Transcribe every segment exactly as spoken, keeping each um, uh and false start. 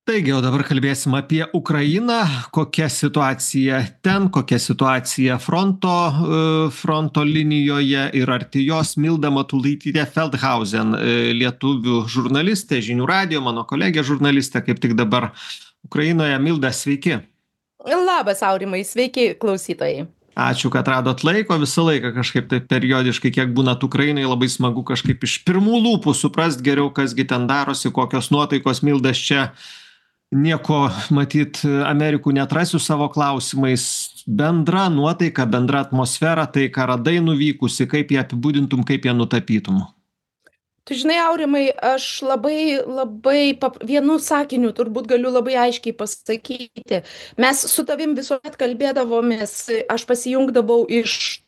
Taigi, o dabar kalbėsim apie Ukrainą, kokia situacija ten, kokia situacija fronto, e, fronto linijoje ir arti jos. Milda Matulaitytė Feldhausen, e, lietuvių žurnalistė, žinių radijo, mano kolegė žurnalistė, kaip tik dabar Ukrainoje. Milda, sveiki. Labas, Aurimai, sveiki klausytojai. Ačiū, kad radot laiko. Visą laiką kažkaip tai periodiškai, kiek būnat Ukrainai, labai smagu kažkaip iš pirmų lūpų suprast geriau, kasgi ten darosi, kokios nuotaikos. Mildas čia nieko, matyt, Amerikų neatrasiu savo klausimais. Bendra nuotaika, bendra atmosfera, tai ką radai nuvykusi, kaip ją apibūdintum, kaip ją nutapytum? Tu žinai, Aurimai, aš labai, labai pap... vienu sakiniu turbūt galiu labai aiškiai pasakyti. Mes su tavim visuomet kalbėdavomės, aš pasijungdavau iš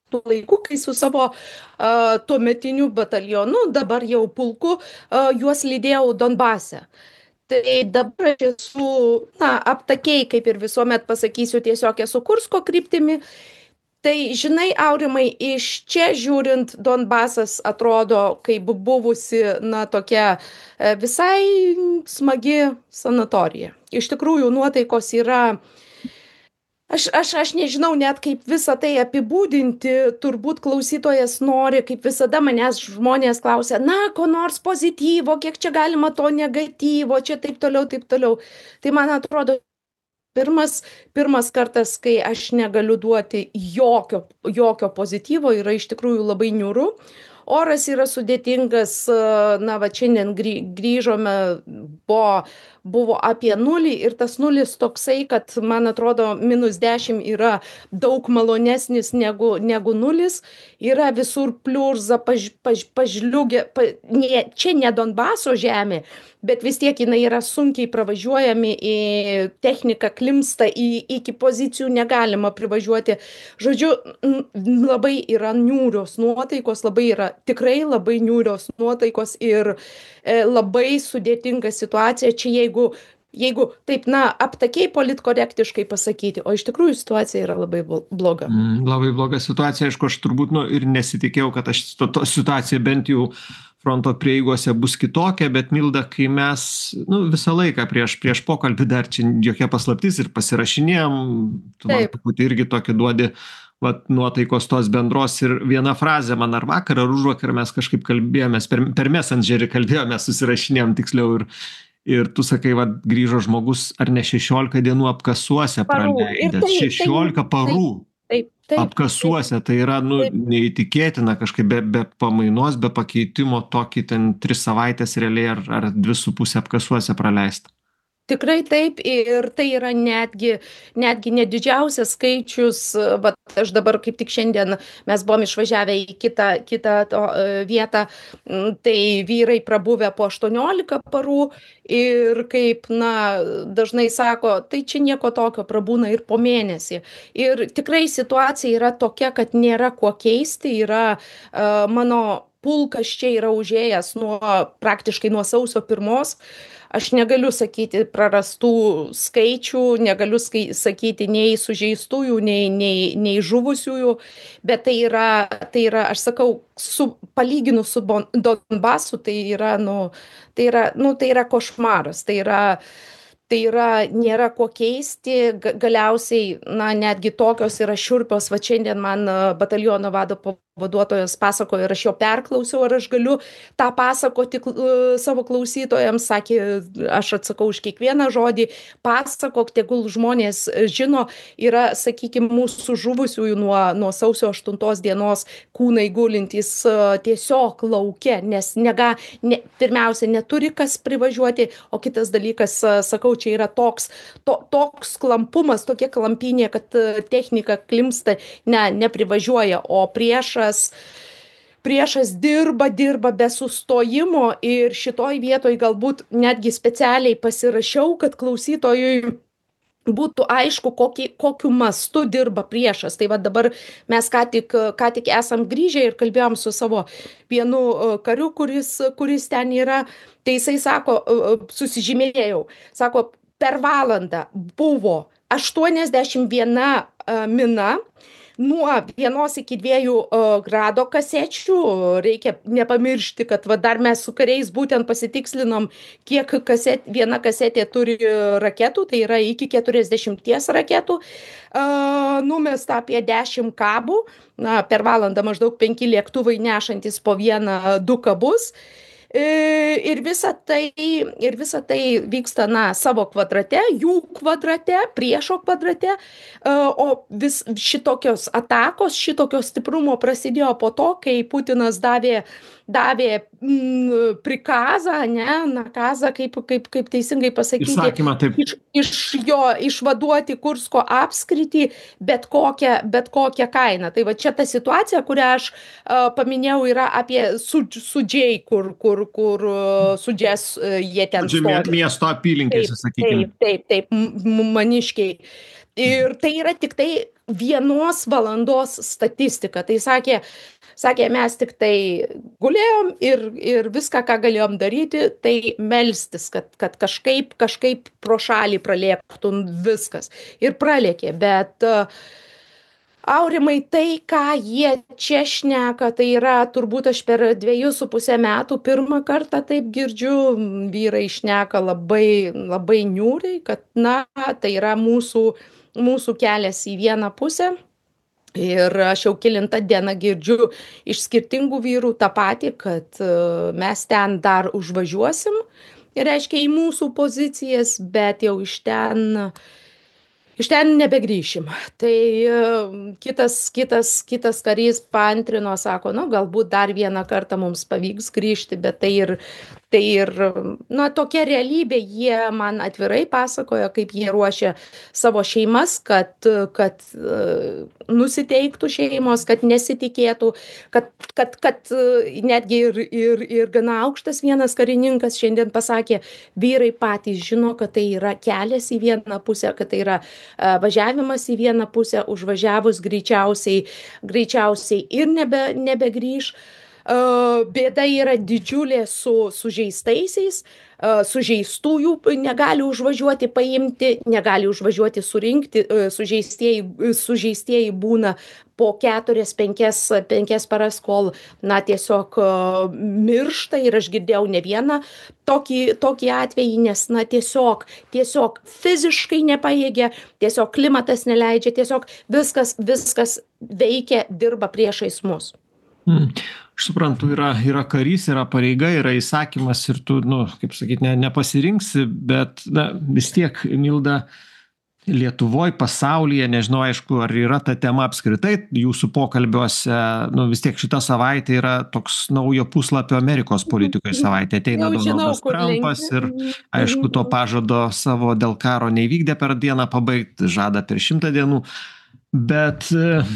tų laikų, kai su savo uh, tuometiniu batalionu, dabar jau pulku, uh, juos lydėjau Donbase. Tai dabar aš esu, na, aptakiai, kaip ir visuomet pasakysiu, tiesiog esu Kursko kryptimi. Tai, žinai, Aurimai, iš čia žiūrint, Donbasas atrodo kaip buvusi, na, tokia e, visai smagi sanatorija. Iš tikrųjų, nuotaikos yra. Aš, aš, aš nežinau net kaip visą tai apibūdinti, turbūt klausytojas nori, kaip visada manęs žmonės klausia, na, ko nors pozityvo, kiek čia galima to negatyvo, čia taip toliau, taip toliau. Tai man atrodo, pirmas, pirmas kartas, kai aš negaliu duoti jokio, jokio pozityvo, yra iš tikrųjų labai niūru. Oras yra sudėtingas, na, va, šiandien grįžome, buvo, buvo apie nulį ir tas nulis toksai, kad, man atrodo, minus dešimt yra daug malonesnis negu, negu nulis. Yra visur pliurza, paž, paž, pažliugę, pa, ne, čia ne Donbaso žemė, bet vis tiek jinai yra sunkiai pravažiuojami, į techniką klimsta, į, iki pozicijų negalima privažiuoti. Žodžiu, labai yra niūrios nuotaikos, labai yra tikrai labai niūrios nuotaikos ir e, labai sudėtinga situacija. Čia jeigu, jeigu taip, na, aptakiai politkorektiškai pasakyti, o iš tikrųjų situacija yra labai bloga. Mm, labai bloga situacija, aišku, aš turbūt, nu, ir nesitikėjau, kad aš to, to situacija bent jau fronto prieigose bus kitokia, bet Milda, kai mes, nu, visą laiką prieš, prieš pokalbį dar čia jokia paslaptis ir pasirašinėjom, tu man truputį irgi tokį duodi, vat, nuotaikos tos bendros ir viena frazė man ar vakar, ar užvakar mes kažkaip kalbėjomės, per, per Messengerį kalbėjomės, susirašinėjom tiksliau ir, ir tu sakai, vat, grįžo žmogus ar ne šešiolika dienų apkasuose praleidęs, šešiolika parų. Taip, taip, apkasuose, taip, tai yra, nu, neįtikėtina kažkaip be, be pamainos, be pakeitimo tokį ten tris savaitės realiai ar, ar dvi su pusė apkasuose praleista. Tikrai taip ir tai yra netgi, netgi nedidžiausias skaičius, vat aš dabar kaip tik šiandien mes buvom išvažiavę į kitą, kitą to, vietą, tai vyrai prabuvę po aštuoniolika parų ir kaip, na, dažnai sako, tai čia nieko tokio, prabūna ir po mėnesį. Ir tikrai situacija yra tokia, kad nėra kuo keisti, yra uh, mano pulkas čia yra užėjęs nuo praktiškai nuo sausio pirmos. Aš negaliu sakyti prarastų skaičių, negaliu skai, sakyti nei sužeistųjų, nei, nei, nei žuvusiųjų, bet tai yra, tai yra, aš sakau, su, palyginu su Donbasu, tai yra, nu, tai yra, nu, tai yra košmaras, tai yra, tai yra, nėra ko keisti, galiausiai, na, netgi tokios yra šiurpios, va šiandien man bataliono vado pavaduotojas pasakojo ir aš jo perklausiau, ar aš galiu tą pasakoti uh, savo klausytojams, sakė, aš atsakau už kiekvieną žodį, pasakok, tegul žmonės žino, yra, sakykime, mūsų žuvusiųjų nuo, nuo sausio aštuntos dienos kūnai gulintys uh, tiesiog lauke, nes nega, ne, pirmiausia, neturi kas privažiuoti, o kitas dalykas, uh, sakau, čia yra toks, to, toks klampumas, tokia klampynė, kad uh, technika klimsta, ne, neprivažiuoja, o priešas Priešas dirba, dirba be sustojimo ir šitoj vietoj galbūt netgi specialiai pasirašiau, kad klausytojui būtų aišku, kokį, kokiu mastu dirba priešas. Tai va dabar mes ką tik, ką tik esam grįžę ir kalbėjom su savo vienu kariu, kuris, kuris ten yra. Tai jisai sako, susižymėjau, sako, per valandą buvo aštuoniasdešimt viena mina, nuo vienos iki dviejų grado kasečių. Reikia nepamiršti, kad va dar mes su kariais būtent pasitikslinom, kiek kaset, viena kasetė turi raketų, tai yra iki keturiasdešimties raketų. Numesta apie dešimt kabų, na, per valandą maždaug penki lėktuvai nešantis po vieną, du kabus. Ir visa tai, ir visa tai vyksta, na, savo kvadrate, jų kvadrate, priešo kvadrate, o vis šitokios atakos, šitokio stiprumo prasidėjo po to, kai Putinas davė, davė mm, prikazą, ne, nakazą, kaip, kaip, kaip teisingai pasakyti, Įsakymą, taip. iš, iš jo išvaduoti Kursko apskritį bet kokią, bet kokią kainą. Tai va čia ta situacija, kurią aš uh, paminėjau, yra apie sudž, sudžiai, kur, kur, kur uh, sudžias uh, jie ten stovi. Miesto apylinkėse, sakykime. Taip, taip, taip, maniškiai. Ir tai yra tik tai vienos valandos statistika. Tai sakė, sakė mes tik tai gulėjom ir, ir viską, ką galėjom daryti, tai melstis, kad, kad kažkaip, kažkaip pro šalį pralėktų viskas. Ir pralėkė, bet uh, Aurimai, tai, ką jie čia šneka, tai yra turbūt aš per dviejus su pusę metų pirmą kartą taip girdžiu, vyrai šneka labai, labai niūriai, kad na, tai yra mūsų, mūsų kelias į vieną pusę. Ir aš jau kelintą dieną girdžiu iš skirtingų vyrų tą patį, kad uh, mes ten dar užvažiuosim, ir reiškia į mūsų pozicijas, bet jau iš ten... Iš ten nebegrįšim. Tai uh, kitas, kitas, kitas karys paantrino, sako, nu, galbūt dar vieną kartą mums pavyks grįžti, bet tai ir, tai ir, na, tokia realybė. Jie man atvirai pasakojo, kaip jie ruošia savo šeimas, kad, kad uh, nusiteiktų šeimos, kad nesitikėtų, kad, kad, kad uh, netgi ir, ir, ir gana aukštas vienas karininkas šiandien pasakė, vyrai patys žino, kad tai yra kelias į vieną pusę, kad tai yra važiavimas į vieną pusę, užvažiavus greičiausiai, greičiausiai ir nebe, nebegrįž. Bėda yra didžiulė su sužeistaisiais, sužeistųjų negali užvažiuoti paimti, negali užvažiuoti surinkti, sužeistieji, sužeistieji būna po keturias, penkias, penkias paras, kol, na, tiesiog miršta, ir aš girdėjau ne vieną tokį, tokį atvejį, nes, na, tiesiog, tiesiog fiziškai nepajėgia, tiesiog klimatas neleidžia, tiesiog viskas, viskas veikia, dirba priešais mus. Hmm. Aš suprantu, yra, yra karys, yra pareiga, yra įsakymas ir tu, nu, kaip sakyti, ne, nepasirinksi, bet, na, vis tiek, Milda, Lietuvoj, pasaulyje, nežinau, aišku, ar yra ta tema apskritai jūsų pokalbiuose, nu, vis tiek šita savaitė yra toks naujo puslapio Amerikos politikoje savaitė. Ateina Donaldas Trumpas ir, aišku, to pažado savo dėl karo neįvykdė per dieną pabaigti, žada per šimtą dienų. Bet,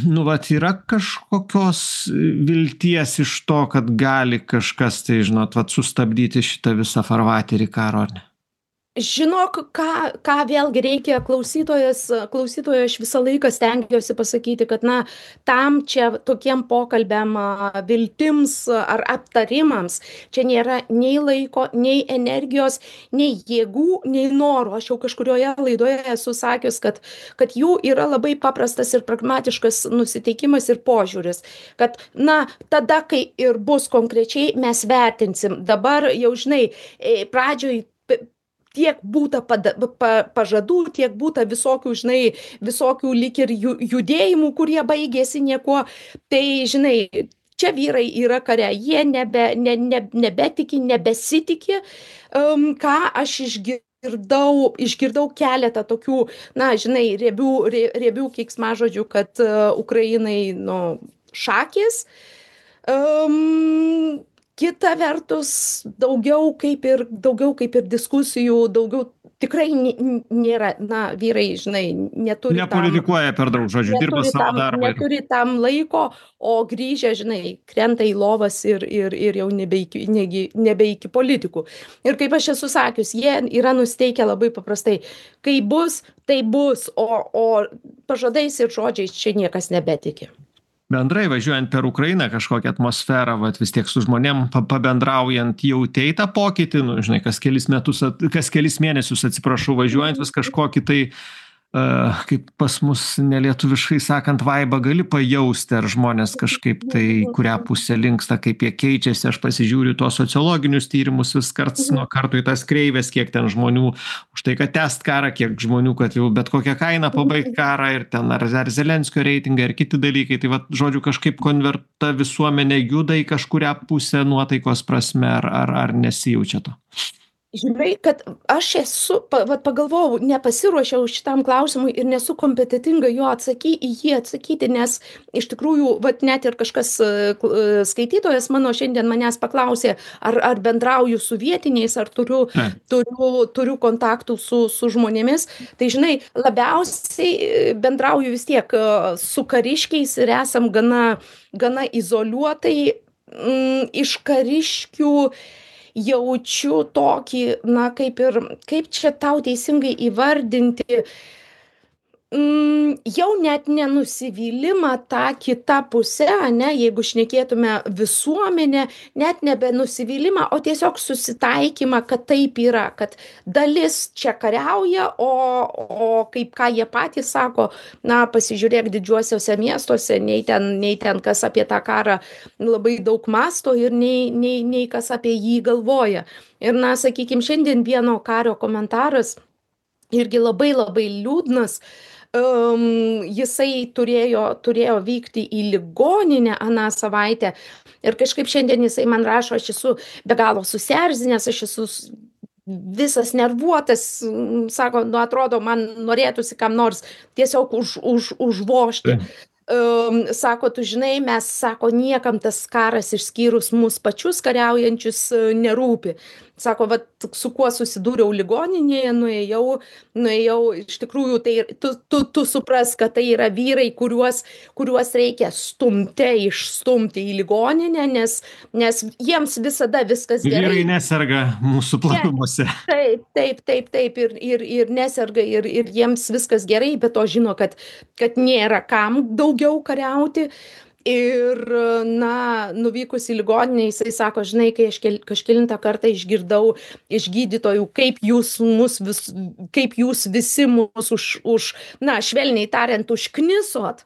nu, vat, yra kažkokios vilties iš to, kad gali kažkas, tai, žinot, vat, sustabdyti šitą visą farvaterį karo, ar ne? Žinok, ką, ką vėlgi reikia klausytojas, klausytojo aš visą laiką stengiuosi pasakyti, kad, na, tam čia tokiem pokalbiam, viltims ar aptarimams, čia nėra nei laiko, nei energijos, nei jėgų, nei norų. Aš jau kažkurioje laidoje esu sakius, kad, kad jų yra labai paprastas ir pragmatiškas nusiteikimas ir požiūris, kad, na, tada, kai ir bus konkrečiai, mes vertinsim. Dabar jau, žinai, pradžioj tiek būta pada, pa, pažadų, tiek būta visokių, žinai, visokių lyg ir judėjimų, kurie baigėsi niekuo. Tai, žinai, čia vyrai yra kare, jie nebe, ne, ne, nebetiki, nebesitikė, um, ką aš išgirdau, išgirdau keletą tokių, na, žinai, riebių, riebių keiksmažodžių, kad uh, Ukrainai, nu, šakės. Um, Kita vertus, daugiau kaip ir, daugiau kaip ir diskusijų, daugiau tikrai nėra, na, vyrai, žinai, neturi tam... Nepolitikuoja per daug, žodžiu, dirba savo darbą. Neturi tam laiko, o grįžę, žinai, krenta į lovas ir, ir, ir jau nebe iki, nebe iki politikų. Ir kaip aš esu sakius, jie yra nusteikę labai paprastai. Kai bus, tai bus, o, o pažadais ir žodžiais čia niekas nebetiki. Bendrai važiuojant per Ukrainą kažkokią atmosferą, vat, vis tiek su žmonėm pabendraujant, jautei tą pokytį, nu, žinai, kas kelis metus, kas kelis mėnesius, atsiprašau, važiuojant vis kažkokį tai kaip pas mus nelietuviškai sakant, vaibą gali pajausti, ar žmonės kažkaip tai kurią pusę linksta, kaip jie keičiasi. Aš pasižiūriu tuos sociologinius tyrimus vis karts nuo karto į tas kreivės, kiek ten žmonių už tai, kad tęst karą, kiek žmonių, kad jau bet kokią kainą pabaigt karą, ir ten ar, ar Zelenskio reitingai, ar kiti dalykai. Tai va, žodžiu, kažkaip konverta visuomenė juda į kažkurią pusę nuotaikos prasme, ar, ar, ar nesijaučia to? Žinai, kad aš esu, pa, vat, pagalvojau, nepasiruošiau šitam klausimui ir nesu kompetitinga jo atsaky, į jį atsakyti, nes iš tikrųjų, vat, net ir kažkas skaitytojas mano šiandien manęs paklausė, ar, ar bendrauju su vietiniais, ar turiu, turiu, turiu kontaktų su, su žmonėmis. Tai žinai, labiausiai bendrauju vis tiek su kariškiais ir esam gana, gana izoliuotai m, iš kariškių. Jaučiu tokį, na, kaip ir, kaip čia tau teisingai įvardinti, mm, jau net nenusivylimą tą kitą pusę, ne, jeigu šnekėtume visuomenę, net nebe nusivylimą, o tiesiog susitaikymą, kad taip yra, kad dalis čia kariauja, o, o kaip ką jie patys sako, na, pasižiūrėk didžiuosiuose miestuose, nei ten, nei ten kas apie tą karą labai daug masto ir nei, nei, nei kas apie jį galvoja. Ir, na, sakykime, šiandien vieno kario komentaras irgi labai labai liūdnas. Um, jisai turėjo, turėjo vykti į ligoninę aną savaitę ir kažkaip šiandien jisai man rašo, aš esu be galo susierzinęs, aš esu visas nervuotas, sako, nu atrodo, man norėtųsi kam nors tiesiog už, už, užvožti. Um, sako, tu žinai, mes, sako, niekam tas karas išskyrus mus pačius kariaujančius nerūpi. Sako, va, su kuo susidūriau ligoninėje, nuėjau, nuėjau, iš tikrųjų, tai tu, tu, tu supras, kad tai yra vyrai, kuriuos, kuriuos reikia stumti, išstumti į ligoninę, nes, nes jiems visada viskas gerai. Vyrai neserga mūsų planuose. Taip, taip, taip, taip, ir, ir, ir neserga, ir, ir jiems viskas gerai, bet to žino, kad, kad nėra kam daugiau kariauti. Ir, na, nuvykus į ligoninę, jisai sako, žinai, kai aš kel, kažkelintą kartą išgirdau iš gydytojų, kaip jūs, mus vis, kaip jūs visi mus už, už, na, švelniai tariant, užknisot,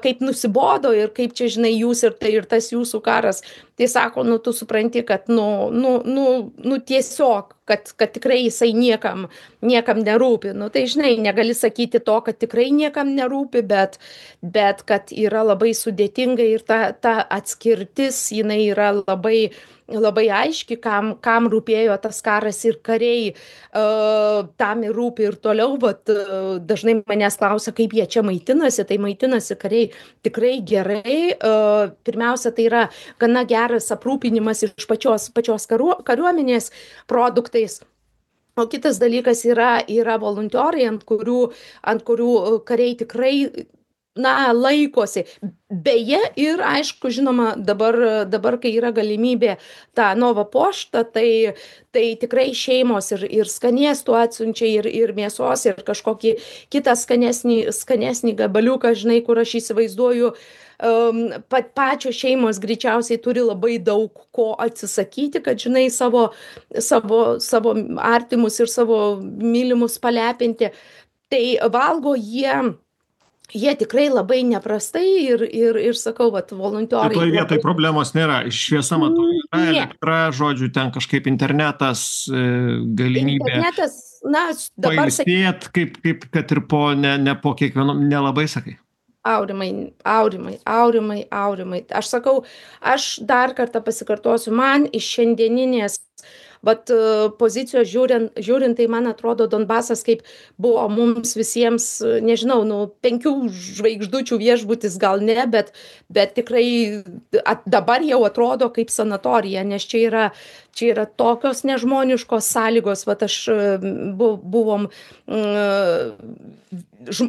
kaip nusibodo ir kaip čia, žinai, jūs ir tai ir tas jūsų karas. Tai sako, nu, tu supranti, kad, nu, nu, nu, nu tiesiog, kad, kad tikrai jisai niekam, niekam nerūpi. Nu, tai, žinai, negali sakyti to, kad tikrai niekam nerūpi, bet, bet kad yra labai sudėtinga ir ta, ta atskirtis, jinai yra labai, labai aiški, kam, kam rūpėjo tas karas ir kariai, uh, tam ir rūpi ir toliau, bet uh, dažnai manęs klausia, kaip jie čia maitinasi, tai maitinasi kariai tikrai gerai. Uh, pirmiausia, tai yra gana geras aprūpinimas iš pačios, pačios karu, kariuomenės produktais. O kitas dalykas yra, yra volunteerai, ant kurių, ant kurių kariai tikrai, na, laikosi. Beje, ir aišku, žinoma, dabar, dabar kai yra galimybė tą Nova poštą, tai, tai tikrai šeimos ir, ir skanėstų atsiunčia, ir, ir mėsos, ir kažkokį kitą skanesnį, skanesnį gabaliuką, žinai, kur aš įsivaizduoju, um, pat pačios šeimos greičiausiai turi labai daug ko atsisakyti, kad, žinai, savo, savo, savo artimus ir savo mylimus palepinti. Tai valgo jie Jie tikrai labai neprastai ir, ir, ir sakau, vat, volunteerai. Toj vietoj problemos nėra. Šviesa matau, yra elektra, žodžiu, ten kažkaip internetas, galimybė. Internetas, na, dabar pailsėt, kaip, kaip, kad ir po, ne, ne po kiekvieno, nelabai sakai. Aurimai, aurimai, aurimai, aurimai. Aš sakau, aš dar kartą pasikartosiu, man iš šiandieninės vat pozicijos žiūrint, žiūrint, tai man atrodo Donbasas kaip buvo mums visiems, nežinau, nu, penkių žvaigždučių viešbutis gal ne, bet, bet tikrai at, dabar jau atrodo kaip sanatorija, nes čia yra, čia yra tokios nežmoniškos sąlygos, vat aš bu, buvom,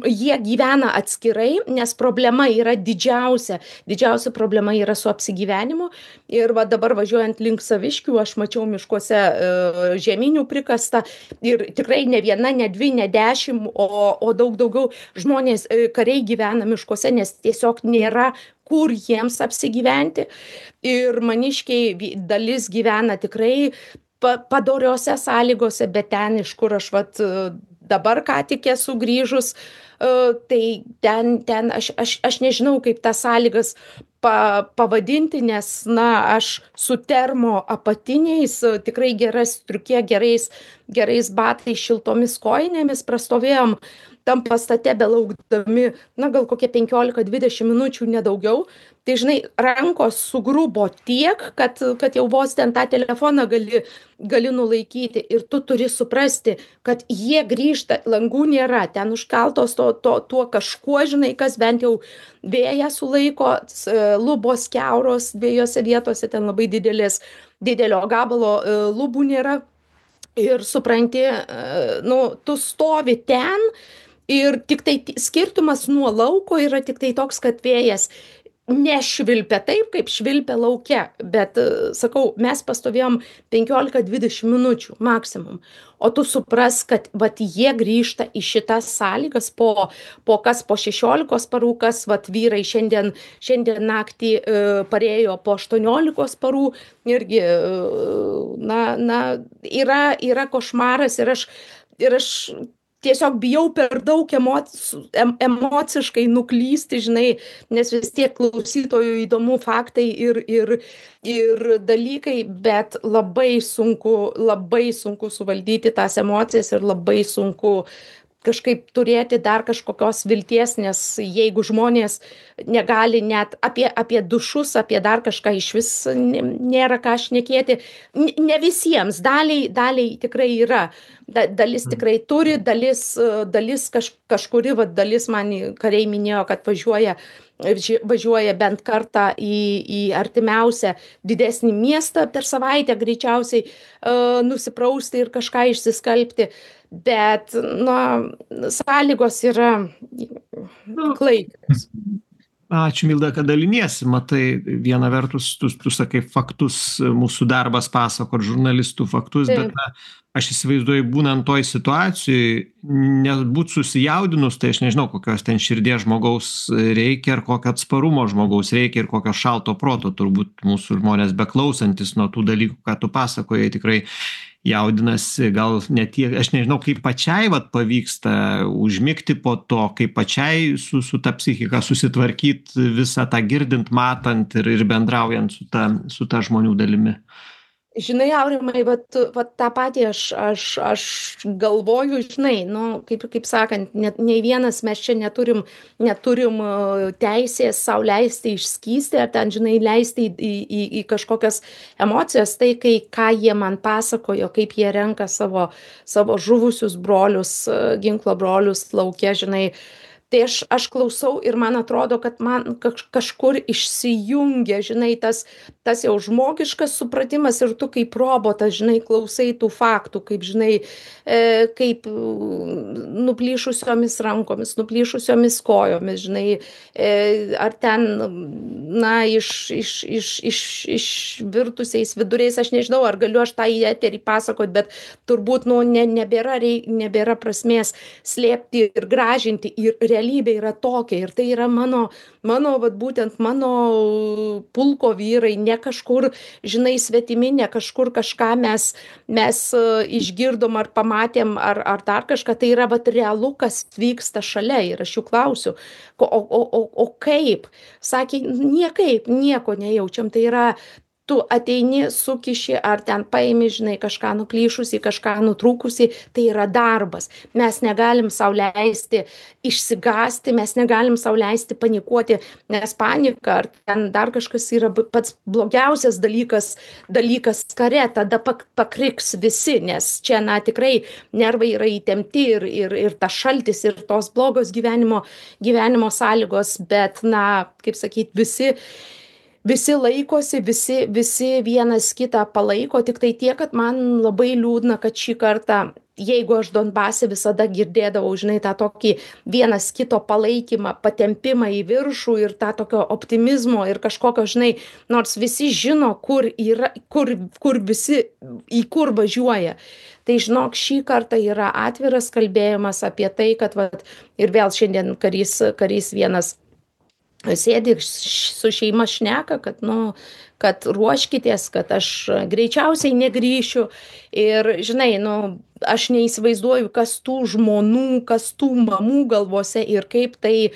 jie gyvena atskirai, nes problema yra didžiausia, didžiausia problema yra su apsigyvenimu ir va dabar važiuojant link Saviškių, aš mačiau miškuose žeminių prikasta ir tikrai ne viena, ne dvi, ne dešimt, o, o daug daugiau žmonės, kariai gyvena miškuose, nes tiesiog nėra kur jiems apsigyventi ir maniškiai dalis gyvena tikrai padoriose sąlygose, bet ten, iš kur aš vat dabar ką tik esu grįžus, e, tai ten, ten aš, aš, aš nežinau, kaip tas sąlygas pa, pavadinti, nes, na, aš su termo apatiniais, e, tikrai gera striukė, gerais, gerais batais, šiltomis kojinėmis prastovėjom tam pastate belaukdami, na, gal kokie penkiolika dvidešim minučių, nedaugiau. Tai, žinai, rankos sugrubo tiek, kad, kad jau vos ten tą telefoną gali, gali nulaikyti. Ir tu turi suprasti, kad jie grįžta, langų nėra, ten užkaltos to, to, tuo kažkuo, žinai, kas bent jau vėją sulaiko, s- lubos kiauros dviejose vietose, ten labai didelės, didelio gabalo e, lubų nėra. Ir supranti, e, nu, tu stovi ten ir tiktai ti- skirtumas nuo lauko yra tiktai toks, kad vėjas nešvilpia taip, kaip švilpia lauke, bet, e, sakau, mes pastovėjom penkiolika dvidešim minučių maksimum, o tu supras, kad vat jie grįžta į šitas sąlygas po, po kas po šešiolikos parų, kas vat vyrai šiandien, šiandien naktį e, parėjo po aštuoniolikos parų, irgi, e, na, na, yra, yra košmaras ir aš, ir aš tiesiog bijau per daug emoc, em, emociškai nuklysti, žinai, nes vis tiek klausytojų įdomu faktai ir, ir, ir dalykai, bet labai sunku, labai sunku suvaldyti tas emocijas ir labai sunku kažkaip turėti dar kažkokios vilties, nes jeigu žmonės negali net apie, apie dušus, apie dar kažką iš vis n- nėra ką šnekėti, N- ne visiems, daliai, daliai tikrai yra, da, dalis tikrai turi, dalis, e, dalis kaž, kažkuri, va, dalis man kariai minėjo, kad važiuoja, ži- važiuoja bent kartą į, į artimiausią didesnį miestą per savaitę greičiausiai uh, nusiprausti ir kažką išsiskalbti, bet, na, sąlygos yra Nu, klaikios. ačiū, Milda, kad daliniesi. Matai, viena vertus, tu, tu sakai faktus, mūsų darbas pasakot, žurnalistų faktus, bet Taip. na, aš įsivaizduoju, būnant toj situacijoj, nebūt susijaudinus, tai aš nežinau, kokios ten širdies žmogaus reikia, ar kokio atsparumo žmogaus reikia, ir kokio šalto proto, turbūt mūsų žmonės beklausantis nuo tų dalykų, ką tu pasakojai, tikrai jaudinasi, gal ne tiek, aš nežinau, kaip pačiai vat pavyksta užmigti po to, kaip pačiai su, su ta psichika susitvarkyt visą tą girdint, matant ir, ir bendraujant su ta, su ta žmonių dalimi. Žinai, Aurimai, vat, vat tą patį aš, aš, aš galvoju, žinai, nu, kaip, kaip sakant, net, nei vienas mes čia neturim, neturim uh, teisės sau leisti išskysti ar ten, žinai, leisti į, į, į, į kažkokias emocijas. Tai, kai ką jie man pasakojo, kaip jie renka savo, savo žuvusius brolius, uh, ginklo brolius lauke, žinai. Tai aš, aš klausau ir man atrodo, kad man kaž, kažkur išsijungia, žinai, tas, tas jau žmogiškas supratimas ir tu kaip robotas, žinai, klausai tų faktų, kaip, žinai, e, kaip mm, nuplyšusiomis rankomis, nuplyšusiomis kojomis, žinai, e, ar ten, na, iš, iš, iš, iš, išvirtusiais viduriais, aš nežinau, ar galiu aš tą į eterį pasakot, bet turbūt, nu, ne, nebėra, reik, nebėra prasmės slėpti ir gražinti ir realybė yra tokia ir tai yra mano, mano, vat būtent mano pulko vyrai, ne kažkur, žinai, svetimi, ne kažkur kažką mes, mes uh, išgirdom ar pamatėm ar, ar dar kažką, tai yra vat realu, kas vyksta šalia ir aš jų klausiu, ko, o, o, o, o kaip? Sakė, niekaip, nieko nejaučiam, tai yra tu ateini, sukiši ar ten paimi, žinai, kažką nuplyšusi, kažką nutrūkusi, tai yra darbas. Mes negalim sau leisti išsigąsti, mes negalim sau leisti panikuoti, nes panika ar ten dar kažkas yra b- pats blogiausias dalykas, dalykas kare, tada pak, pakriks visi, nes čia, na, tikrai nervai yra įtempti ir, ir, ir tas šaltis ir tos blogos gyvenimo, gyvenimo sąlygos, bet, na, kaip sakyt, visi visi laikosi, visi, visi vienas kitą palaiko, tik tai tiek, kad man labai liūdna, kad šį kartą, jeigu aš Donbase visada girdėdavau, žinai, tą tokį vienas kito palaikymą, patempimą į viršų ir tą tokio optimizmo ir kažkokio, žinai, nors visi žino, kur yra, kur, kur visi, į kur važiuoja. Tai žinok, šį kartą yra atviras kalbėjimas apie tai, kad vat, ir vėl šiandien karys, karys vienas sėdi ir š su šeima šneka, kad, nu, kad ruoškitės, kad aš greičiausiai negrįšiu. Ir, žinai, nu, aš neįsivaizduoju, kas tų žmonų, kas tų mamų galvose ir kaip tai,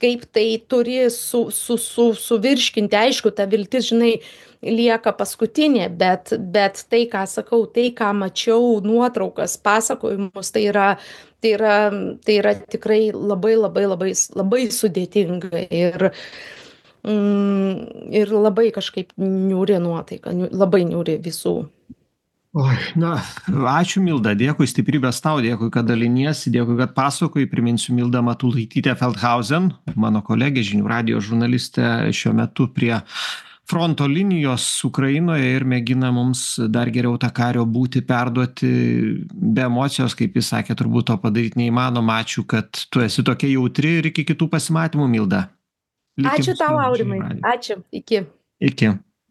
kaip tai turi su, su, su, suvirškinti. Aišku, ta viltis, žinai, lieka paskutinė, bet, bet tai, ką sakau, tai, ką mačiau, nuotraukas, pasakojimus, tai yra, tai yra, tai yra tikrai labai, labai, labai, labai sudėtinga ir, mm, ir labai kažkaip niūri nuotaika, niu- labai niūri visų. Oi, na, ačiū Milda, dėkui, stiprybės tau, dėkui, kad daliniesi, dėkui, kad pasakoji. Priminsiu Milda Matulaitytė Feldhausen, mano kolegė, žinių radijo žurnalistė, šiuo metu prie fronto linijos Ukrainoje ir mėgina mums dar geriau tą kario būti perduoti be emocijos, kaip jis sakė, turbūt to padaryti neįmanoma. Ačiū, kad tu esi tokia jautri ir iki kitų pasimatymų, Milda. Likim Ačiū su tau, žinių Aurimai. radiju. Ačiū. Iki. Iki.